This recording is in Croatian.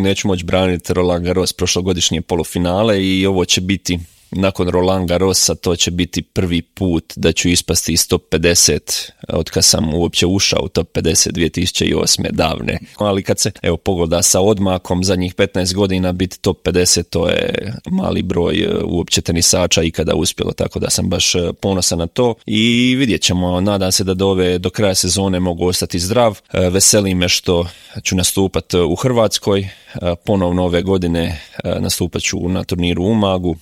neću moći braniti Roland Garros prošlogodišnje polufinale i ovo će biti nakon Roland Garrosa, to će biti prvi put da ću ispasti iz top 50 od kad sam uopće ušao u top 50 2008. davne. Ali kad se pogleda sa odmakom zadnjih 15 godina biti top 50, to je mali broj uopće tenisača ikada uspjelo, tako da sam baš ponosan na to i vidjet ćemo. Nadam se da do kraja sezone mogu ostati zdrav. Veseli me što ću nastupati u Hrvatskoj. Ponovno ove godine nastupat ću na turniru u Umagu